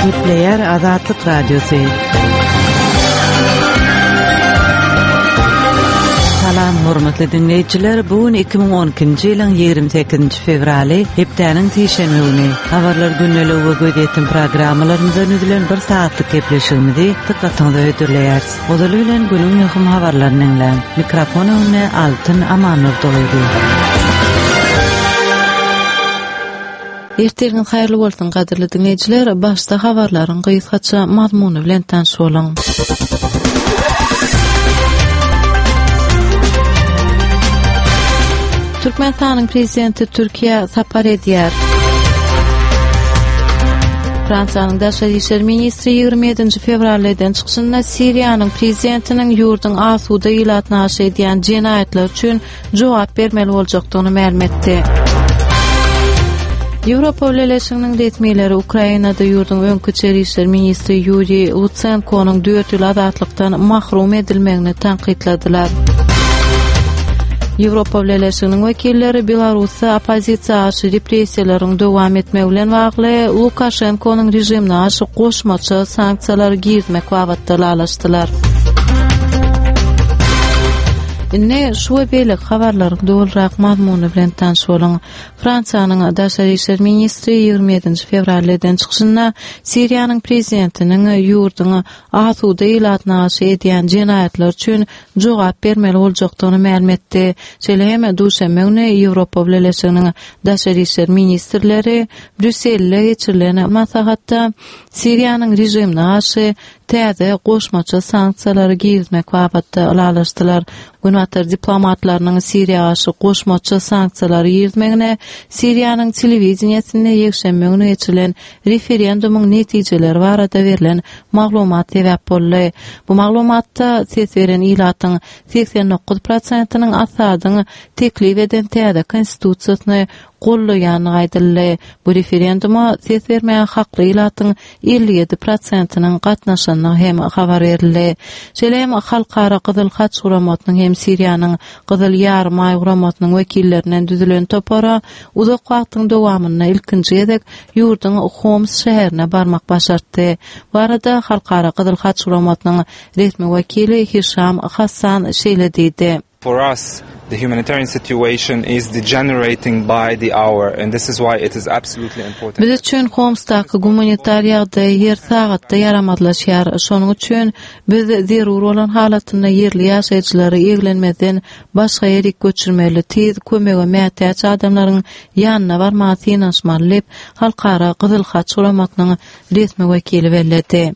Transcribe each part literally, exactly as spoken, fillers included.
Gepleýär Azatlyk Radiosy. Salam, hormatly diňleýjiler. Bu gün iki müň on ikinji ýylyň ýigrimi sekizinji fewraly, hepdäniň sişenbe güni. Habarlar gündeligi we gözýetim programmalarymyzdan düzülen bir saatlyk gepleşigimizi dykgatyňyza hödürleýäris. Ozaly bilen günüň möhüm habarlaryny diňläň. Mikrofon öňünde Altyn Amanurdyýewa. Ertiriňiz haýyrly bolsun gadyrly diňleýjiler. Başda habarlaryň gysgaça mazmuny bilen tanyş boluň. Türkmenistanyň prezidenti Türkiýä sapar edýär. Fransiýanyň daşary işler ministri ýigrimi ýedinji fewralda eden çykyşynda Siriýanyň prezidentiniň ýurduň asuda ilatyna garşy edýän jenaýatlary üçin jogap bermeli boljakdygyny mälim etdi. Ýewropa Bileleşiginiň resmileri Ukrainada ýurduň öňki içeri işler ministri Ýuriý Lutsenkonyň dört ýyl azatlykdan mahrum edilmegini tankytladylar. Ýewropa Bileleşiginiň wekilleri Belarusda oppozisiýa garşy repressiýalaryň dowam etmegi bilen bagly Lukaşenkonyň režimine garşy goşmaça sanksiýalary girizmek babatda ylalaşdylar. Indi şu we beýleki habarlaryň dolurak mazmuny bilen tanyş boluň. Fransiýanyň daşary işler ministri ýigrimi ýedinji fewralda eden çykyşynda Siriýanyň prezidentiniň ýurduň asuda ilatyna garşy edýän jenaýatlar üçin jogap bermeli boljakdygyny mälim etdi. Şeýle hem duşenbe güni Ýewropa Bileleşiginiň daşary işler ministrleri Brýusselde geçirilen maslahatda Siriýanyň režimine garşy täze goşmaça sanksiýalary girizmek babatda ylalaşdylar. Günbatar diplomatlarynyň Siriýa garşy goşmaça sanksiýalary girizmegine Siriýanyň telewideniýesinde ýekşenbe güni geçirilen referendumyň netijeleri barada berlen maglumat sebäp boldy. Bu maglumatda ses beren ilatyň seksen dokuz prosentiniň Asadyň teklip eden täze konstitusiýasyny gollaýandygy aýdyldy. Bu referenduma ses bermäge hakly ilatyň elli ýedi prosentiniň gatnaşandygy hem habar berildi. Şeýle hem Halkara Gyzyl Haç guramasynyň hem Siriýanyň Gyzyl Ýarymaý guramasynyň wekillerinden düzülen topara uzak wagtyň dowamynda ilkinji gezek ýurduň Homs şäherine barmak başartdy. Bu arada Halkara Gyzyl Haç guramasynyň resmi wekili Hişam Hassan şeýle diýdi. For us, the humanitarian situation is degenerating by the hour, and this is why it is absolutely important. Biz üçin Homsdaky gumanitar ýagdaý her sagatda ýaramazlaşýar. Şonuň üçin biz zerur bolan halatynda ýerli ýaşaýjylary eglenmezden başga ýere göçürmeli, tiz kömege mätäç adamlaryň ýanyna barmaga synanyşmaly diýip, Halkara Gyzyl Haç guramasynyň resmi wekili belledi.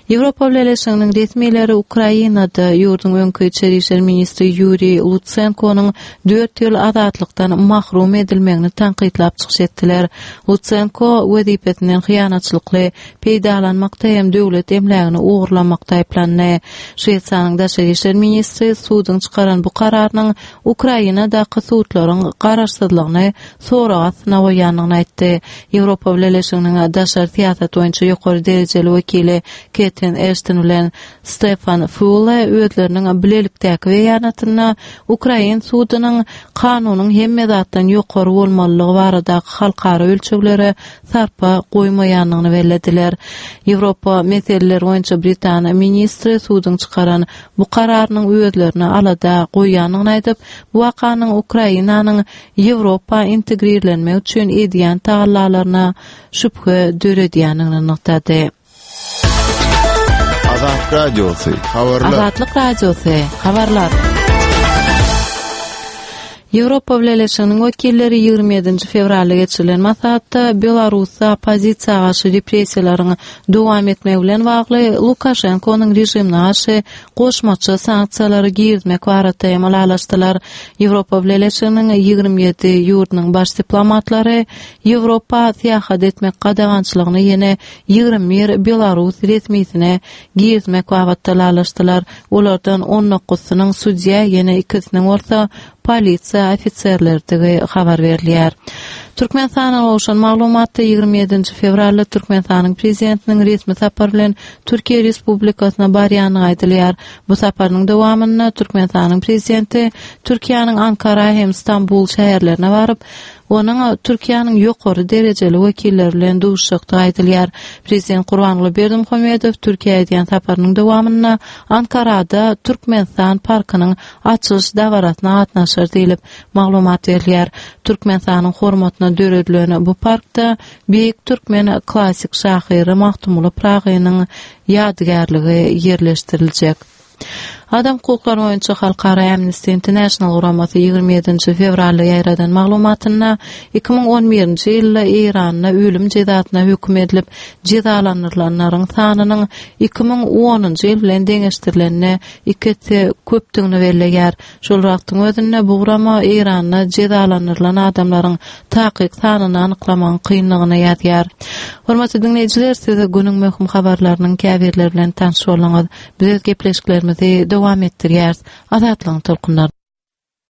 Ýewropa Bileleşiginiň resmileri Ukrainada ýurduň öňki içeri işler ministri Ýuriý Lutsenkonyň dört ýyl azatlykdan mahrum edilmegini tankytlap çykyş etdiler. Lutsenko wezipesinden hyýanatçylykly peýdalanmakda hem döwlet emlägini ogurlamakda aýyplandy. Şwesiýanyň daşary işler ministri suduň çykaran bu kararynyň Ukrainadaky sudlaryň garaşsyzlygyny sorag astyna goýandygyny aýtdy. Ýewropa Bileleşiginiň daşary syýasat boýunça ýokary derejeli wekili Ketrin Ashton bilen Stefan Füle özleriniň bilelikdäki beýanatynda Ukrain sudunyň kanunyň hemme zatdan ýokary bolmalylygy baradaky halkara ölçeglere sarpa goýmaýandygyny bellediler. Ýewropa meseleleri boýunça Britan ministri suduň çykaran bu kararynyň özlerine alada goýandygyny aýdyp, bu wakanyň Ukrainanyň Ýewropa integrirlenmek üçin edýän tagallalaryna şübhe döredýändigini nygtady. Azatlyk Radiosy, habarlar. Azatlyk Radiosy, habarlar. Ýewropa Bileleşiginiň wekilleri ýigrimi ýedinji fewralda geçirilen maslahatda Belarusda oppozisiýa garşy repressiýalaryň dowam etmegi bilen bagly Lukaşenkonyň režimine garşy goşmaça sanksiýalary girizmek barada hem ylalaşdylar. Ýewropa Bileleşiginiň ýigrimi ýedi ýurdunyň baş diplomatlary Ýewropa syýahat etmek gadagançylygyny ýene ýigrimi bir Belarus resmisine girizmek babatda ylalaşdylar. Olardan on dokuzysynyň sudýa, ýene ikisiniň bolsa polisiýa ofiserlerdigi habar berilýär. Türkmenistana gowşan maglumatda ýigrimi ýedinji fewralda Türkmenistanyň prezidentiniň resmi sapar bilen Türkiýe Respublikasyna barýandygy aýdylýar. Bu saparynyň dowamynda Türkmenistanyň prezidenti Türkiýäniň Ankara hem Stambul şäherlerine baryp, onuň Türkiýäniň ýokary derejeli wekilleri bilen duşuşjakdygy aýdylýar. Prezident Gurbanguly Berdimuhamedow Türkiýä edýän saparynyň dowamynda Ankarada Türkmenistan parkynyň açylyş dabarasyna gatnaşar diýlip maglumat berilýär. Türkmenistanyň hormatyna döredilen bu parkda beýik türkmen klasik şahyry Magtymguly Pyragynyň ýadygärligi ýerleşdiriljek. Adam hukuklary boýunça Halkara Amnesty International guramasy ýigrimi ýedinji fewralda ýaýradan maglumatynda iki müň on birinji ýylda Eýranda ölüm jezasyna höküm edilip jezalandyrylanlaryň sanynyň iki müň onunjy ýyl bilen deňeşdirilende iki esse köpdügini belleýär. Şol wagtyň özünde bu gurama Eýranda jezalandyrylan adamlaryň takyk sanyny anyklamagyň kynlygyny ýazýar. Hormatly dinleýjiler, siz günüň möhüm habarlarynyň käbirleri bilen tanyş bolduňyz. Biz öz gepleşiklerimizi dowam etdirýäris. Azatlygyň tolkunlary.